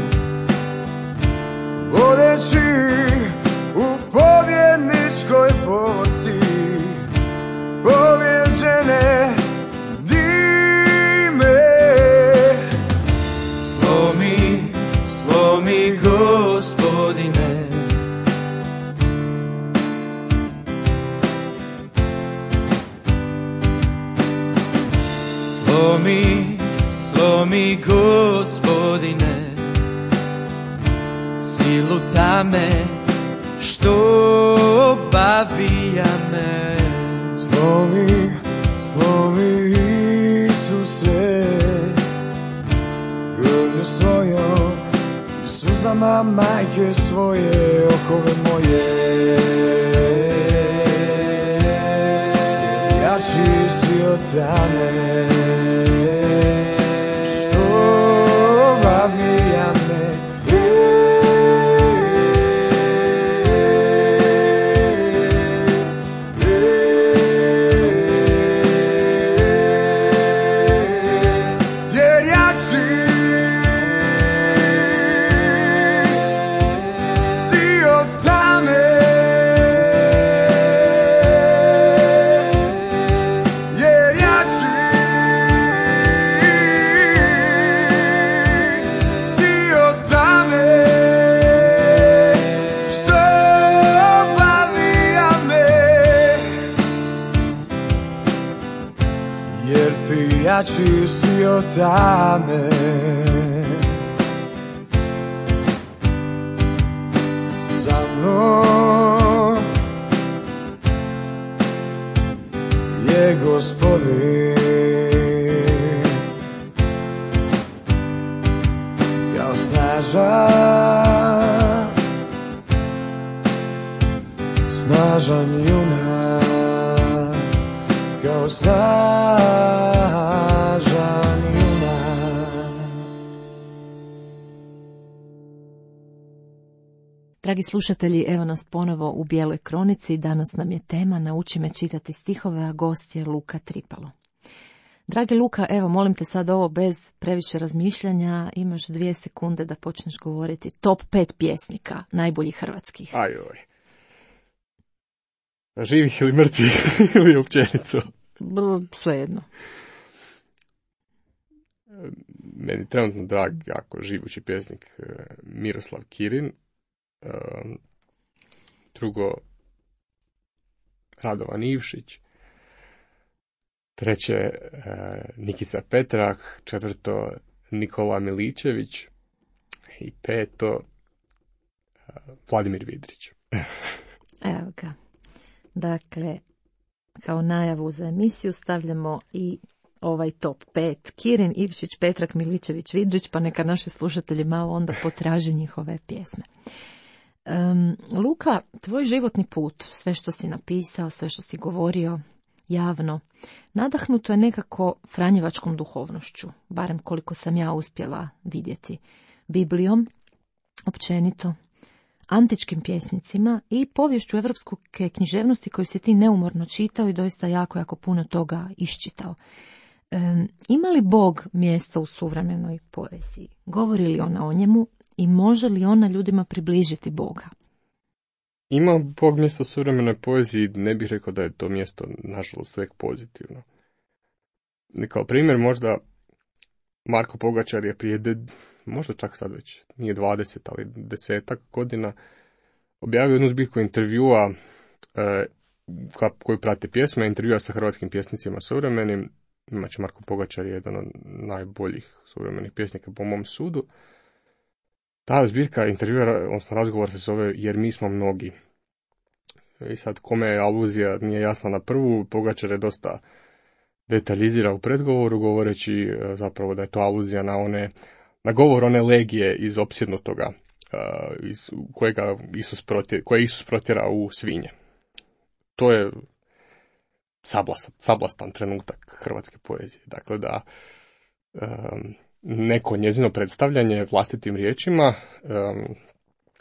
vodeći u pobjedničkoj povorci, pobjeđene dime. Slomi, slomi Gospodine, slomi, slomi Gospodine, silu tame što obavija me. Slomi, slomi Isuse, krvlju svojom i suzama majke svoje, okove moje. Ja čisti od tame jer jači jači si od tame. Sa mnom je Gospodin, kao snažan, snažan junak, kao snažan junak. Dragi slušatelji, evo nas ponovo u Bijeloj kronici. Danas nam je tema Nauči me čitati stihove, a gost je Luka Tripalo. Dragi Luka, evo molim te sad ovo bez previše razmišljanja, imaš dvije sekunde da počneš govoriti top pet pjesnika, najboljih hrvatskih. Ajoj. Živih ili mrtvih ili općenito? Svejedno. Meni trenutno drag, jako živući pjesnik Miroslav Kirin. Drugo, Radovan Ivšić. Treće, Nikica Petrah. Četvrto, Nikola Miličević. I peto, Vladimir Vidrić. Evo ga. Dakle, kao najavu za emisiju stavljamo i ovaj top pet. Kirin, Ivšić, Petrah, Miličević, Vidrić, pa neka naši slušatelji malo onda potraže njihove pjesme. Um, Luka, tvoj životni put, sve što si napisao, sve što si govorio javno, nadahnuto je nekako franjevačkom duhovnošću, barem koliko sam ja uspjela vidjeti, Biblijom, općenito, antičkim pjesnicima i poviješću evropske književnosti koju si ti neumorno čitao i doista jako, jako puno toga iščitao. Um, ima li Bog mjesta u suvremenoj poeziji? Govori li ona o njemu i može li ona ljudima približiti Boga? Ima Bog mjesto u suvremenoj poeziji, ne bih rekao da je to mjesto, nažalost, uvijek pozitivno. Kao primjer, možda Marko Pogačar je prije, de, možda čak sad već, nije dvadeset, ali desetak godina, objavio jednu zbirku intervjua e, koju prate pjesme, intervjua sa hrvatskim pjesnicima suvremenim. Znači, Marko Pogačar je jedan od najboljih suvremenih pjesnika po mom sudu. Ta zbirka intervjua, odnosno razgovor se zove Jer mi smo mnogi. I sad, kome je aluzija nije jasna na prvu, Pogačar je dosta detaljizira u predgovoru, govoreći zapravo da je to aluzija na one, na govor one legije iz opsjednutoga, iz kojega Isus protjera, koje Isus protjera u svinje. To je sablastan, sablastan trenutak hrvatske poezije. Dakle, da um, neko njezino predstavljanje vlastitim riječima um,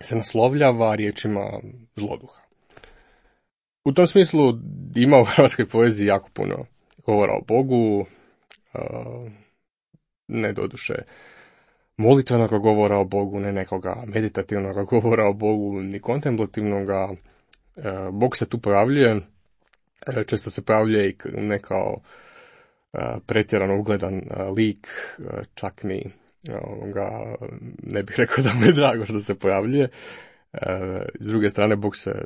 se naslovljava riječima zloduha. U tom smislu ima u hrvatskoj poeziji jako puno govora o Bogu, uh, ne doduše molitvenog govora o Bogu, ne nekoga meditativnog govora o Bogu, ni kontemplativnoga. Uh, Bog se tu pojavljuje, često se pojavljuje i ne kao uh, pretjerano ugledan uh, lik, uh, čak ni uh, ga, ne bih rekao da mu je drago što se pojavljuje. Uh, s druge strane, Bog se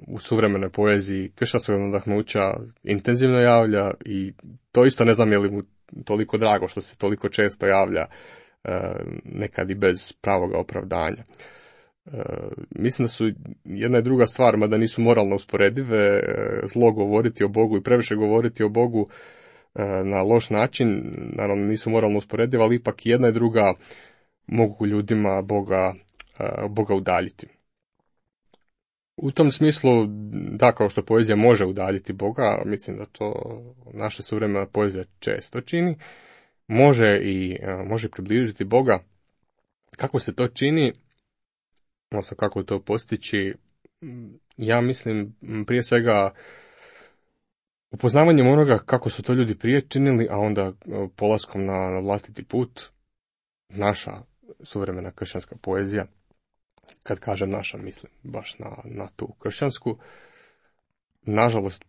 u suvremenoj poeziji kršćanskog nadahnuća intenzivno javlja i to isto ne znam je li mu toliko drago što se toliko često javlja, uh, nekad i bez pravoga opravdanja. Uh, mislim da su jedna i druga stvar, mada nisu moralno usporedive, uh, zlo govoriti o Bogu i previše govoriti o Bogu uh, na loš način, naravno nisu moralno usporedive, ali ipak jedna i druga mogu ljudima Boga, uh, Boga udaljiti. U tom smislu, da, kao što poezija može udaljiti Boga, mislim da to naša suvremena poezija često čini, može i uh, može približiti Boga. Kako se to čini, odnosno kako to postići, ja mislim prije svega upoznavanjem onoga kako su to ljudi prije činili, a onda polaskom na vlastiti put, naša suvremena kršćanska poezija, kad kažem naša, mislim baš na, na tu kršćansku, nažalost,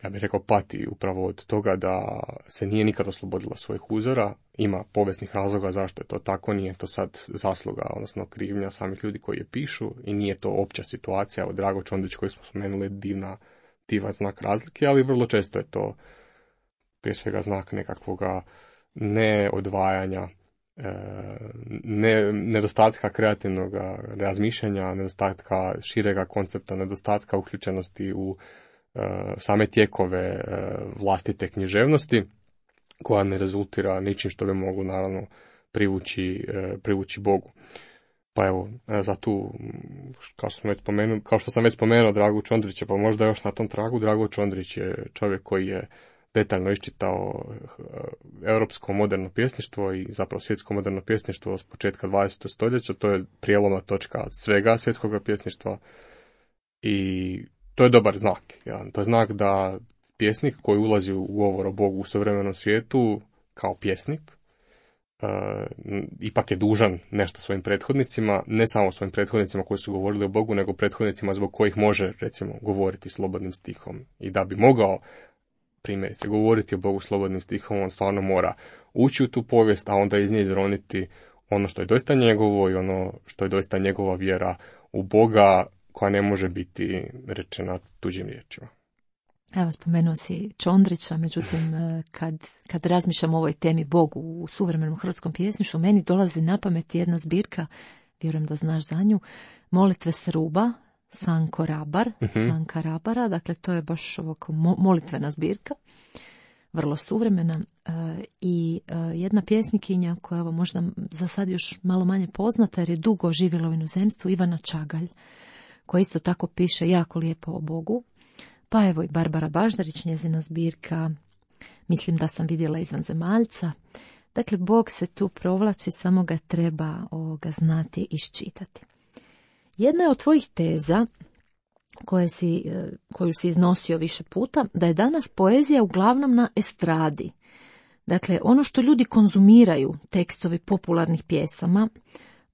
ja bih rekao, pati upravo od toga da se nije nikad oslobodila svojih uzora. Ima povijesnih razloga zašto je to tako, nije to sad zasluga, odnosno krivnja samih ljudi koji je pišu i nije to opća situacija. Od Drago Čondić koji smo spomenuli, divna, divan znak razlike, ali vrlo često je to prije svega znak nekakvoga neodvajanja, ne, nedostatka kreativnog razmišljanja, nedostatka širega koncepta, nedostatka uključenosti u same tijekove vlastite književnosti, koja ne rezultira ničim što bi mogu naravno privući, privući Bogu. Pa evo, za tu, kao što, sam već spomenuo, kao što sam već spomenuo Dragu Čondrića, pa možda još na tom tragu, Drago Čondrić je čovjek koji je detaljno iščitao europsko moderno pjesništvo i zapravo svjetsko moderno pjesništvo s početka dvadesetog stoljeća. To je prijelomna točka svega svjetskog pjesništva i to je dobar znak. Ja. To je znak da pjesnik koji ulazi u govor o Bogu u suvremenom svijetu kao pjesnik uh, ipak je dužan nešto svojim prethodnicima, ne samo svojim prethodnicima koji su govorili o Bogu, nego prethodnicima zbog kojih može, recimo, govoriti slobodnim stihom. I da bi mogao, primjerice, govoriti o Bogu slobodnim stihom, on stvarno mora ući u tu povijest, a onda iz nje izroniti ono što je doista njegovo i ono što je doista njegova vjera u Boga, koja ne može biti rečena tuđim riječima. Evo, spomenuo si Čondrića, međutim, kad, kad razmišljam o ovoj temi Bogu u suvremenom hrvatskom pjesništvu, meni dolazi na pamet jedna zbirka, vjerujem da znaš za nju, Molitve Sruba, Sanko Rabar, uh-huh. Sanka Rabara, dakle to je baš ovako molitvena zbirka, vrlo suvremena, e, i e, jedna pjesnikinja koja je možda za sad još malo manje poznata jer je dugo živjela u inozemstvu, Ivana Čagalj, koja isto tako piše jako lijepo o Bogu. Pa evo i Barbara Baždarić, njezina zbirka Mislim da sam vidjela izvan zemaljca. Dakle, Bog se tu provlači, samo ga treba ovoga znati i iščitati. Jedna je od tvojih teza, koje si, koju si iznosio više puta, da je danas poezija uglavnom na estradi. Dakle, ono što ljudi konzumiraju, tekstovi popularnih pjesama,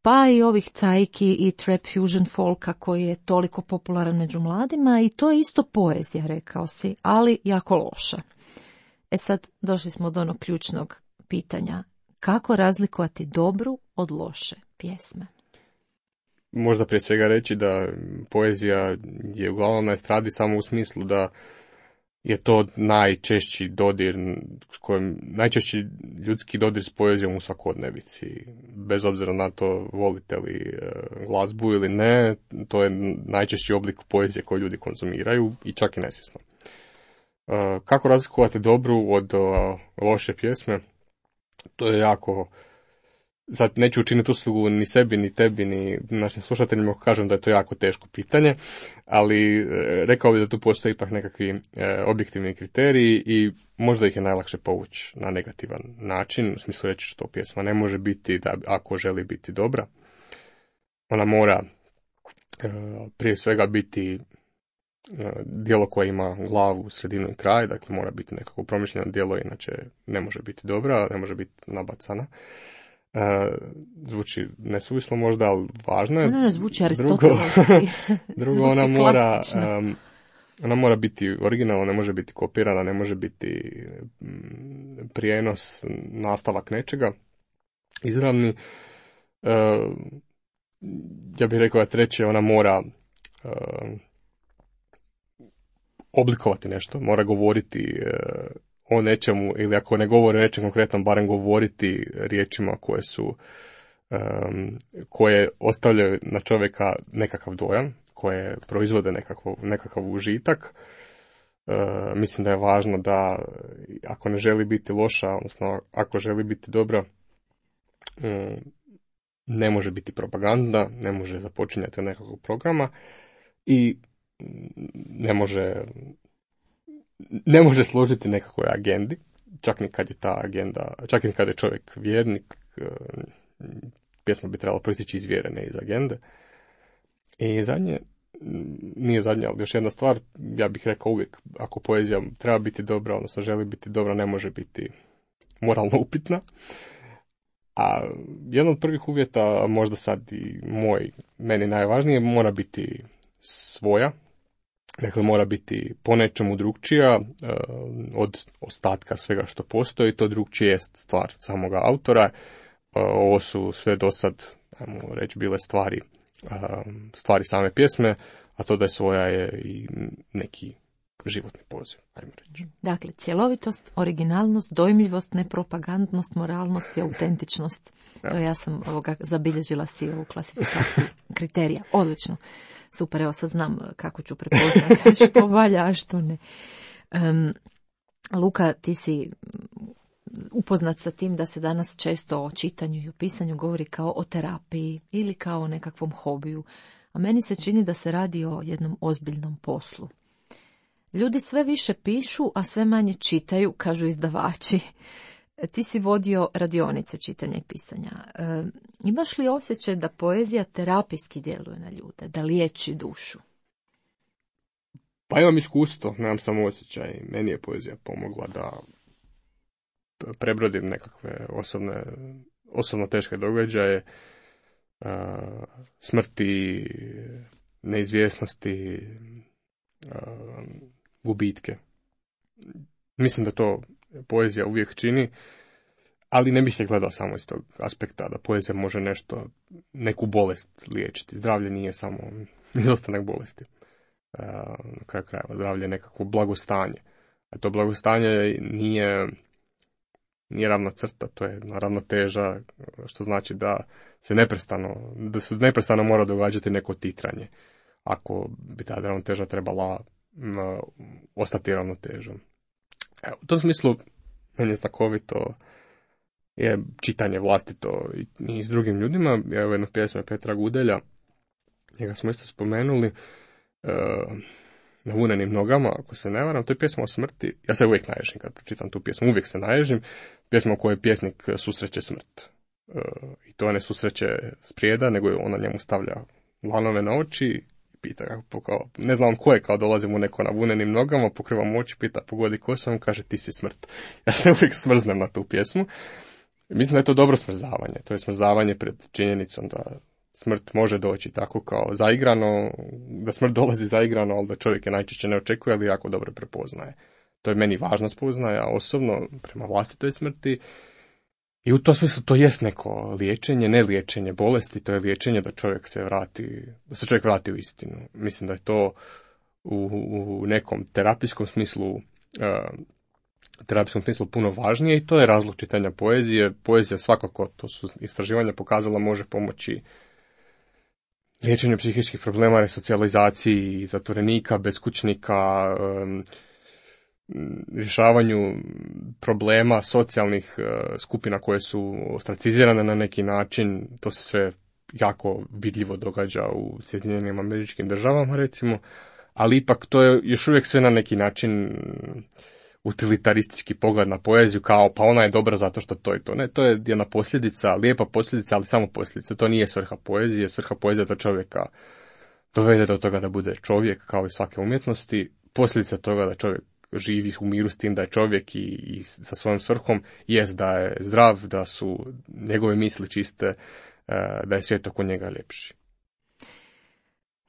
pa i ovih cajki i trap fusion folka koji je toliko popularan među mladima, i to je isto poezija, rekao si, ali jako loša. E sad, došli smo do onog ključnog pitanja. Kako razlikovati dobru od loše pjesme? Možda prije svega reći da poezija je uglavnom na estradi samo u smislu da je to najčešći dodir, s kojim, najčešći ljudski dodir s poezijom u svakodnevici. Bez obzira na to volite li glazbu ili ne, to je najčešći oblik poezije koju ljudi konzumiraju i čak i nesvjesno. Kako razlikovati dobru od loše pjesme? To je jako... Sad neću učiniti uslugu ni sebi, ni tebi, ni našim slušateljima ako kažem da je to jako teško pitanje, ali e, rekao bih da tu postoji ipak nekakvi e, objektivni kriteriji i možda ih je najlakše povući na negativan način, u smislu reći što pjesma ne može biti, da ako želi biti dobra. Ona mora e, prije svega biti e, djelo koje ima glavu, sredinu i kraj, dakle mora biti nekako promišljeno djelo, inače ne može biti dobra, ne može biti nabacana. Uh, zvuči nesuvislo možda, ali važno je. Ona ne zvuči aristotelovski. Drugo, ona mora, um, ona mora biti originalna, ne može biti kopirana, ne može biti um, prijenos, nastavak nečega. Izravni. Uh, ja bih rekao da treće, ona mora uh, oblikovati nešto, mora govoriti uh, o nečemu, ili ako ne govori o nečem konkretnom, barem govoriti riječima koje su, um, koje ostavljaju na čovjeka nekakav dojam, koje proizvode nekakav, nekakav užitak. Uh, mislim da je važno da, ako ne želi biti loša, odnosno ako želi biti dobra, um, ne može biti propaganda, ne može započinjati od nekakvog programa i ne može... ne može složiti nekakvoj agendi, čak ni kad je ta agenda, čak i kad je čovjek vjernik, pjesma bi trebala proisteći iz vjere, ne iz agende. I zadnje, nije zadnja, ali još jedna stvar, ja bih rekao uvijek, ako poezija treba biti dobra, odnosno želi biti dobra, ne može biti moralno upitna. A jedan od prvih uvjeta, možda sad i moj, meni najvažnije, mora biti svoja. Dakle, mora biti po nečemu drugčija uh, od ostatka svega što postoji. To drugčije jest stvar samoga autora. Uh, ovo su sve do sad, ajmo reći, bile stvari, uh, stvari same pjesme, a to da je svoja je i neki životni poziv, ajmo reći. Dakle, cjelovitost, originalnost, dojmljivost, nepropagandnost, moralnost i autentičnost. Ja. Evo, ja sam ovoga zabilježila si ovu klasifikaciju kriterija. Odlično. Super, evo sad znam kako ću prepoznati što valja, a što ne. Um, Luka, ti si upoznat sa tim da se danas često o čitanju i o pisanju govori kao o terapiji ili kao o nekakvom hobiju, a meni se čini da se radi o jednom ozbiljnom poslu. Ljudi sve više pišu, a sve manje čitaju, kažu izdavači. Ti si vodio radionice čitanja i pisanja. E, imaš li osjećaj da poezija terapijski djeluje na ljude, da liječi dušu? Pa imam iskustvo, nemam samo osjećaj. Meni je poezija pomogla da prebrodim nekakve osobne, osobno teške događaje, uh, smrti, neizvjesnosti, uh, gubitke. Mislim da to poezija uvijek čini, ali ne bih je gledao samo iz tog aspekta da poezija može nešto, neku bolest liječiti. Zdravlje nije samo izostanak bolesti. Uh, na kraju krajeva zdravlje je nekakvo blagostanje. A to blagostanje nije, nije ravna crta, to je ravnoteža, što znači da se neprestano, da se neprestano mora događati neko titranje. Ako bi ta ravnoteža trebala um, ostati ravnotežom. Evo, u tom smislu meni je znakovito je čitanje vlastito i, i s drugim ljudima. Evo jednu pjesmu Petra Gudelja, njega smo isto spomenuli, na vunenim nogama, ako se ne varam, to je pjesma o smrti. Ja se uvijek naježim kad pročitam tu pjesmu, uvijek se naježim. Pjesma u kojoj pjesnik susreće smrt. I to ne susreće sprijeda, nego ona njemu stavlja lanove na oči i pita kako, kao, ne znam ko je, kao dolazi mu neko na vunenim nogama, pokriva mu oči, pita pogodi ko sam, kaže ti si smrt. Ja se uvijek smrznem na tu pjesmu. Mislim da je to dobro smrzavanje. To je smrzavanje pred činjenicom da smrt može doći tako kao zaigrano, da smrt dolazi zaigrano, ali da čovjek je najčešće ne očekuje, ali jako dobro prepoznaje. To je meni važna spoznaja, osobno, prema vlastitoj smrti. I u tom smislu to jest neko liječenje, ne liječenje bolesti, to je liječenje da čovjek se vrati, da se čovjek vrati u istinu. Mislim da je to u, u nekom terapijskom smislu, uh, terapijskom smislu puno važnije i to je razlog čitanja poezije. Poezija svakako, to su istraživanja pokazala, može pomoći liječenju psihičkih problema, resocijalizaciji zatvorenika, beskućnika, um, rješavanju problema socijalnih uh, skupina koje su ostracizirane na neki način. To se sve jako vidljivo događa u Sjedinjenim Američkim Državama, recimo, ali ipak to je još uvijek sve na neki način utilitaristički pogled na poeziju, kao pa ona je dobra zato što to i to. Ne, to je jedna posljedica, lijepa posljedica, ali samo posljedica. To nije svrha poezije. Svrha poezije da čovjeka dovede do toga da bude čovjek, kao i svake umjetnosti. Posljedica toga da čovjek živi u miru s tim da je čovjek i, i sa svojom svrhom jest da je zdrav, da su njegove misli čiste, da je svijet oko njega ljepši.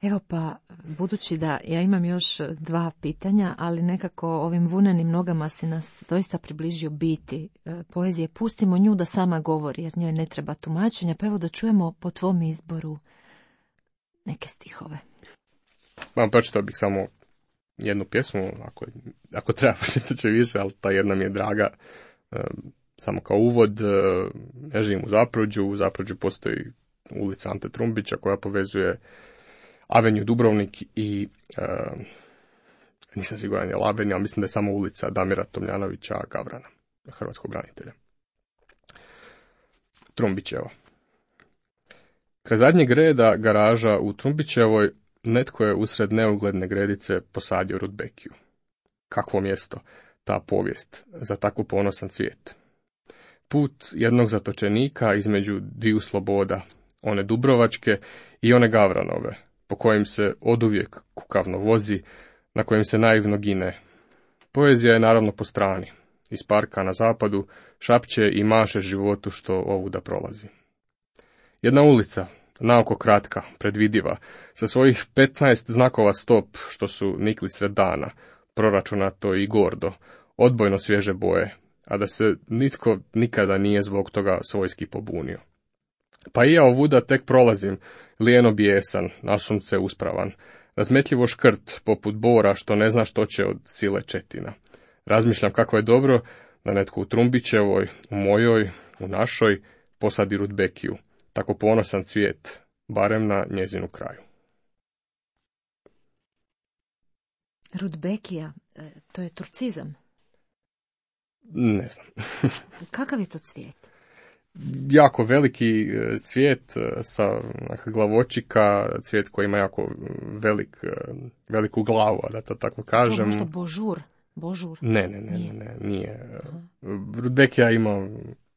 Evo pa, budući da ja imam još dva pitanja, ali nekako ovim vunenim nogama si nas doista približio biti poezije. Pustimo nju da sama govori, jer njoj ne treba tumačenja, pa evo da čujemo po tvom izboru neke stihove. Mam pročitao bih samo jednu pjesmu, ako, ako treba pročitat će više, ali ta jedna mi je draga. Samo kao uvod, ja živim u Zapruđu, u Zapruđu postoji ulica Ante Trumbića koja povezuje Avenju Dubrovnik i uh, nisam siguran je li Avenija, ali mislim da je samo ulica Damira Tomljanovića Gavrana, hrvatskog branitelja. Trumbićevo. Kraj zadnjeg reda garaža u Trumbićevoj netko je usred neugledne gredice posadio rudbekiju. Kakvo mjesto, ta povijest, za tako ponosan cvijet. Put jednog zatočenika između dviju sloboda, one Dubrovačke i one Gavranove, po kojim se oduvijek kukavno vozi, na kojim se naivno gine. Poezija je naravno po strani. Iz parka na zapadu šapće i maše životu što ovuda prolazi. Jedna ulica, naoko kratka, predvidiva, sa svojih petnaest znakova stop što su nikli sred dana, proračunato i gordo, odbojno svježe boje, a da se nitko nikada nije zbog toga svojski pobunio. Pa i ja ovuda tek prolazim, lijeno bijesan, na sunce uspravan, Razmetljivo škrt, poput bora što ne zna što će od sile četina. Razmišljam kako je dobro da netko u Trumbićevoj, u mojoj, u našoj posadi rudbekiju. Tako ponosan cvijet, barem na njezinu kraju. Rudbekija, to je turcizam. Ne znam. Kakav je to cvijet? Jako veliki cvijet sa glavočika, cvijet koji ima jako velik, veliku glavu, da to tako kažem. To možda božur? Božur? Ne, ne, ne, nije. ne, ne nije. Rudbekija ima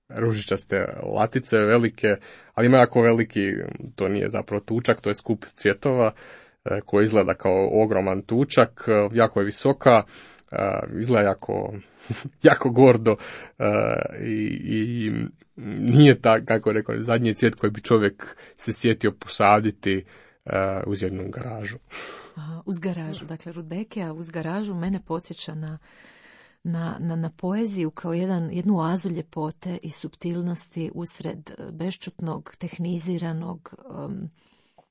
ružičaste latice velike, ali ima jako veliki, to nije zapravo tučak, to je skup cvjetova koji izgleda kao ogroman tučak, jako je visoka, izgleda jako, jako gordo i, i nije tak, kako rekao, zadnji cvijet koji bi čovjek se sjetio posaditi uz jednu garažu. Aha, uz garažu, dakle Rudbekija uz garažu mene podsjeća na Na, na, na poeziju kao jedan, jednu oazu ljepote i suptilnosti usred bešćutnog, tehniziranog, um,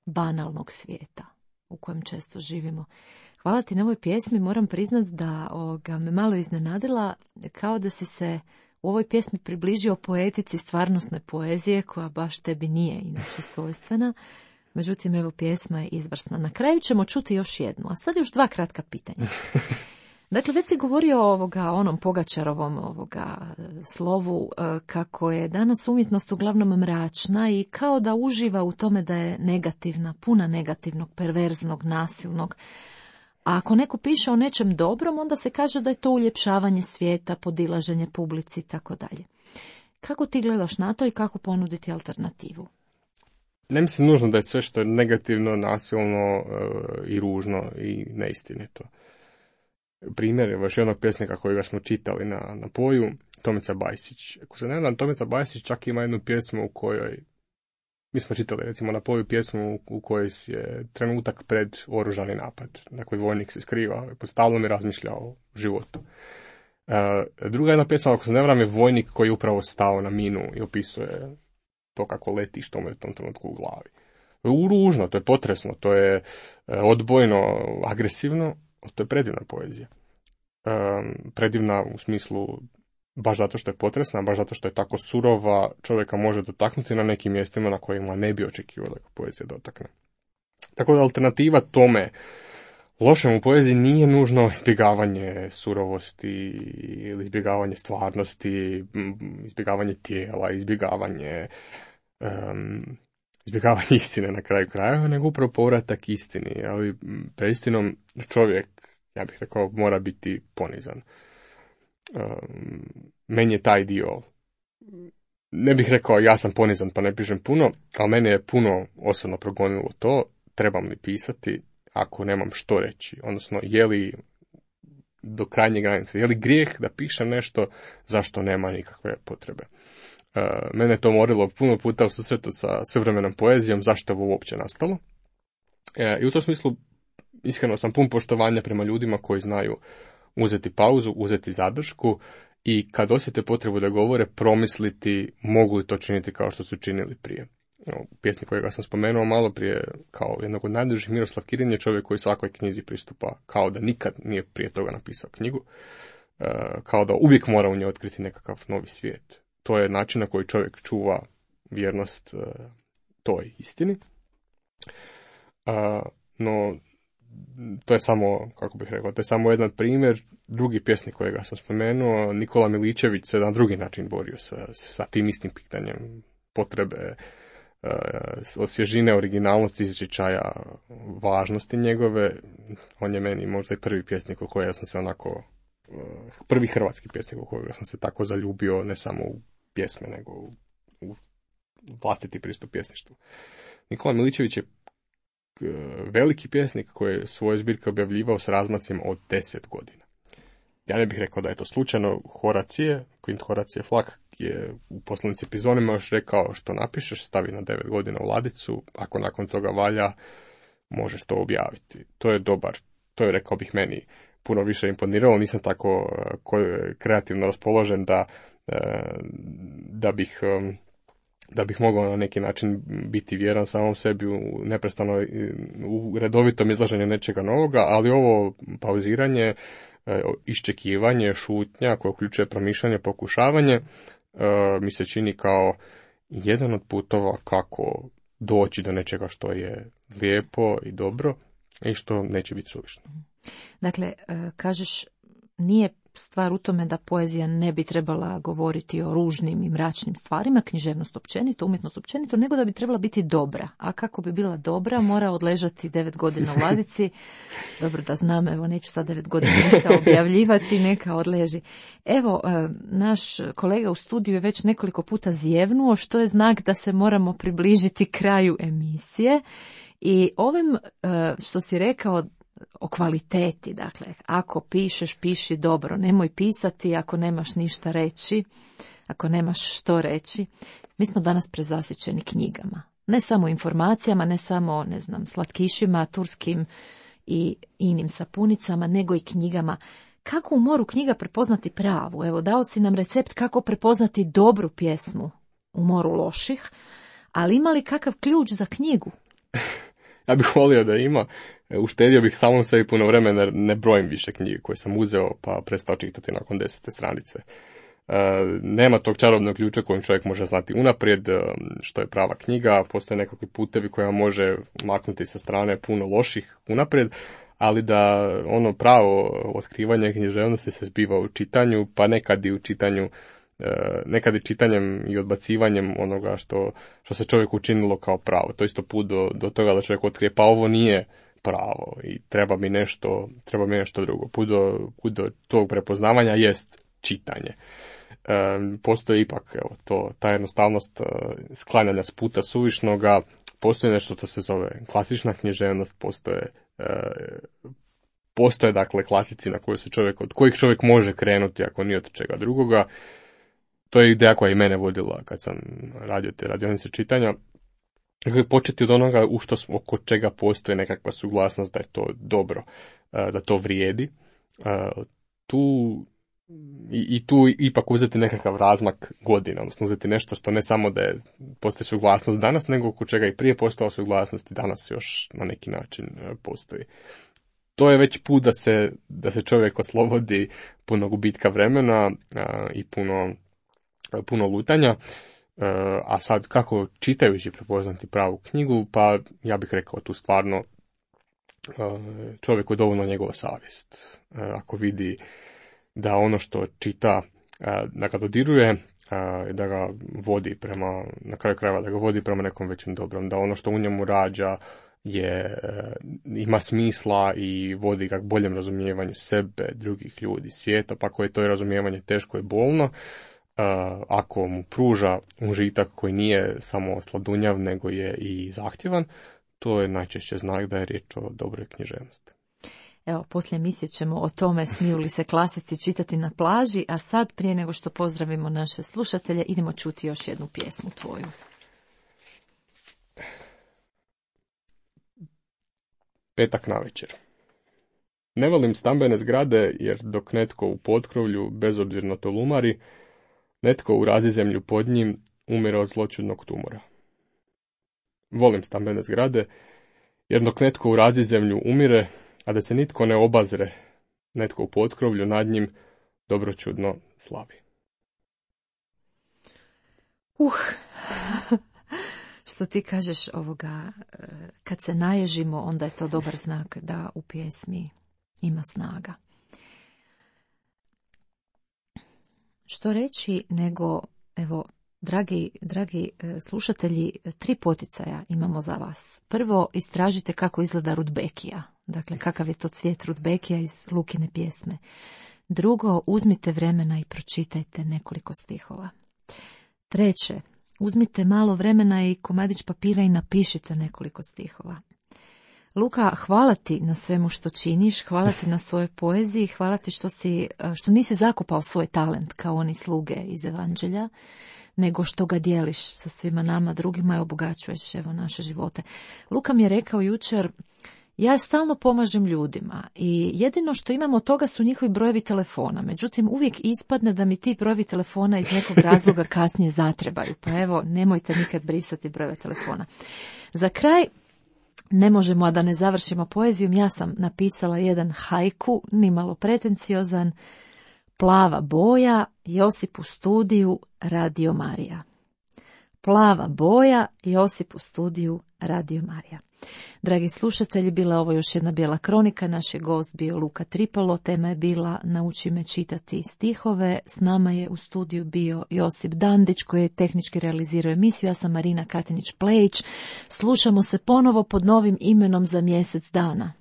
banalnog svijeta u kojem često živimo. Hvala ti na ovoj pjesmi, moram priznati da ovoga, me malo iznenadila, kao da si se u ovoj pjesmi približio poetici stvarnosne poezije, koja baš tebi nije inače svojstvena. Međutim, evo, pjesma je izvrsna. Na kraju ćemo čuti još jednu, a sad još dva kratka pitanja. Dakle, već si govorio o ovoga, onom Pogačarovom ovoga slovu, kako je danas umjetnost uglavnom mračna i kao da uživa u tome da je negativna, puna negativnog, perverznog, nasilnog. A ako neko piše o nečem dobrom, onda se kaže da je to uljepšavanje svijeta, podilaženje publici i tako dalje. Kako ti gledaš na to i kako ponuditi alternativu? Ne mislim nužno da je sve što je negativno, nasilno i ružno i neistinito. Primjer je još jednog pjesnika kojega smo čitali na, na Poju, Tomica Bajsić. Ako se ne znam, Tomica Bajsić čak ima jednu pjesmu u kojoj, mi smo čitali recimo na Poju pjesmu u kojoj je trenutak pred oružani napad. Dakle, vojnik se skriva, stalno mi razmišlja o životu. E, druga jedna pjesma, ako se ne znam, je vojnik koji je upravo stao na minu i opisuje to kako leti, što mu je u tom trenutku u glavi. Ružno, to je potresno, to je odbojno, agresivno. To je predivna poezija. Um, predivna u smislu baš zato što je potresna, baš zato što je tako surova, čovjeka može dotaknuti na nekim mjestima na kojima ne bi očekivao da ga poezija dotakne. Tako da alternativa tome lošem u poeziji nije nužno izbjegavanje surovosti ili izbjegavanje stvarnosti, izbjegavanje tijela, izbjegavanje um, izbjegavanje istine na kraju krajeva, nego upravo povratak istini, ali pred istinom čovjek, ja bih rekao, mora biti ponizan. Um, meni je taj dio, ne bih rekao ja sam ponizan pa ne pišem puno, ali mene je puno osobno progonilo to, trebam li pisati ako nemam što reći, odnosno je li do krajnje granice, je li grijeh da pišem nešto zašto nema nikakve potrebe. Uh, mene je to morilo puno puta u susretu sa savremenom poezijom, zašto je ovo uopće nastalo. Uh, I u tom smislu iskreno sam pun poštovanja prema ljudima koji znaju uzeti pauzu, uzeti zadršku i kad osjete potrebu da govore, promisliti mogu li to činiti kao što su činili prije. You know, pjesnik kojega sam spomenuo malo prije kao jednog od najdužih, Miroslav Kirin, je čovjek koji svakoj knjizi pristupa kao da nikad nije prije toga napisao knjigu, uh, kao da uvijek mora u njoj otkriti nekakav novi svijet. To je način na koji čovjek čuva vjernost uh, toj istini. Uh, no, to je samo, kako bih rekao, to je samo jedan primjer. Drugi pjesnik kojega sam spomenuo, Nikola Miličević, se na drugi način borio sa, sa tim istim pitanjem potrebe uh, osvježine, originalnosti, izričaja, važnosti njegove. On je meni možda i prvi pjesnik u kojega sam se onako, uh, prvi hrvatski pjesnik u kojega sam se tako zaljubio, ne samo u pjesme, nego u, u vlastiti pristup pjesništvu. Nikola Miličević je veliki pjesnik koji je svoje zbirke objavljivao s razmacima od deset godina. Ja ne bih rekao da je to slučajno. Horacije, Kvint Horacije Flak je u poslanici Pizonima još rekao što napišeš, stavi na devet godina u ladicu, ako nakon toga valja, možeš to objaviti. To je dobar, to je, rekao bih, meni puno više imponiralo, nisam tako kreativno raspoložen da, da bih da bih mogao na neki način biti vjeran samom sebi u neprestano u redovitom izlaženju nečega novoga, ali ovo pauziranje, iščekivanje, šutnja koja uključuje promišljanje, pokušavanje, mi se čini kao jedan od putova kako doći do nečega što je lijepo i dobro i što neće biti suvišno. Dakle, kažeš, nije stvar u tome da poezija ne bi trebala govoriti o ružnim i mračnim stvarima, književnost općenito, umjetnost općenito, nego da bi trebala biti dobra. A kako bi bila dobra, mora odležati devet godina u ladici. Dobro da znam, evo neću sad devet godina ništa objavljivati, neka odleži. Evo, naš kolega u studiju je već nekoliko puta zjevnuo, što je znak da se moramo približiti kraju emisije. I ovim što si rekao o kvaliteti, dakle, ako pišeš, piši dobro, nemoj pisati ako nemaš ništa reći, ako nemaš što reći. Mi smo danas prezasićeni knjigama. Ne samo informacijama, ne samo, ne znam, slatkišima, turskim i inim sapunicama, nego i knjigama. Kako u moru knjiga prepoznati pravu? Evo, dao si nam recept kako prepoznati dobru pjesmu u moru loših, ali ima li kakav ključ za knjigu? Ja bih volio da ima. Uštedio bih samom sebi puno vremena, ne brojim više knjige koje sam uzeo pa prestao čitati nakon desete stranice. E, nema tog čarobnog ključa kojim čovjek može znati unaprijed što je prava knjiga, postoje nekakvi putevi koja može maknuti sa strane puno loših unaprijed, ali da ono pravo otkrivanje književnosti se zbiva u čitanju, pa nekad i u čitanju, nekad i čitanjem i odbacivanjem onoga što, što se čovjeku učinilo kao pravo. To je isto put do, do toga da čovjek otkrije, pa ovo nije pravo i treba mi nešto, treba mi nešto drugo. Put do, put do tog prepoznavanja jest čitanje. E, postoji ipak evo, to, ta jednostavnost e, sklanjanja s puta suvišnoga, postoji nešto što se zove klasična književnost, postoje e, postoje dakle klasici na koje se čovjek, od kojih čovjek može krenuti ako nije od čega drugoga. To je ideja koja i mene vodila kad sam radio te radionice čitanja. Dakle, početi od onoga u što, oko čega postoji nekakva suglasnost da je to dobro, da to vrijedi. Tu, i, i tu ipak uzeti nekakav razmak godina, odnosno uzeti nešto što ne samo da je postoji suglasnost danas, nego oko čega i prije postojala suglasnost i danas još na neki način postoji. To je već put da se, da se čovjek oslobodi puno gubitka vremena a, i puno, puno lutanja. A sad kako čitajući prepoznati pravu knjigu, pa ja bih rekao tu stvarno čovjeku je dovoljno njegova savjest. Ako vidi da ono što čita, da ga dodiruje, da ga vodi prema, na kraju krajeva da ga vodi prema nekom većem dobrom, da ono što u njemu rađa je, ima smisla i vodi ga k boljem razumijevanju sebe, drugih ljudi, svijeta, pa ako je to razumijevanje teško i bolno, ako mu pruža užitak koji nije samo sladunjav, nego je i zahtjevan, to je najčešće znak da je riječ o dobroj književnosti. Evo, poslije emisije ćemo o tome smiju li se klasici čitati na plaži, a sad prije nego što pozdravimo naše slušatelje, idemo čuti još jednu pjesmu tvoju. Petak navečer. Ne volim stambene zgrade, jer dok netko u potkrovlju bezobzirno tolumari, netko u razizemlju pod njim umire od zloćudnog tumora. Volim stambene zgrade, jer dok netko u razizemlju umire, a da se nitko ne obazre, netko u potkrovlju nad njim dobročudno slavi. Uh, što ti kažeš ovoga, kad se naježimo, onda je to dobar znak da u pjesmi ima snaga. Što reći nego, evo, dragi, dragi slušatelji, tri poticaja imamo za vas. Prvo, istražite kako izgleda rudbekija. Dakle, kakav je to cvijet rudbekija iz Lukine pjesme. Drugo, uzmite vremena i pročitajte nekoliko stihova. Treće, uzmite malo vremena i komadić papira i napišite nekoliko stihova. Luka, hvala ti na svemu što činiš, hvala ti na svojoj poeziji, hvala ti što, si, što nisi zakopao svoj talent kao oni sluge iz Evanđelja, nego što ga dijeliš sa svima nama drugima i obogaćuješ evo naše živote. Luka mi je rekao jučer, Ja stalno pomažem ljudima i jedino što imam od toga su njihovi brojevi telefona. Međutim, uvijek ispadne da mi ti brojevi telefona iz nekog razloga kasnije zatrebaju. Pa evo, nemojte nikad brisati brojeve telefona. Za kraj, ne možemo, a da ne završimo poezijom, ja sam napisala jedan haiku, nimalo pretenciozan, plava boja, Josip u studiju, Radio Marija. Plava boja, Josip u studiju, Radio Marija. Dragi slušatelji, bila je ovo još jedna bijela kronika, naš je gost bio Luka Tripalo, tema je bila Nauči me čitati stihove, s nama je u studiju bio Josip Dandić koji je tehnički realizirao emisiju, ja sam Marina Katinić-Plejić, slušamo se ponovo pod novim imenom za mjesec dana.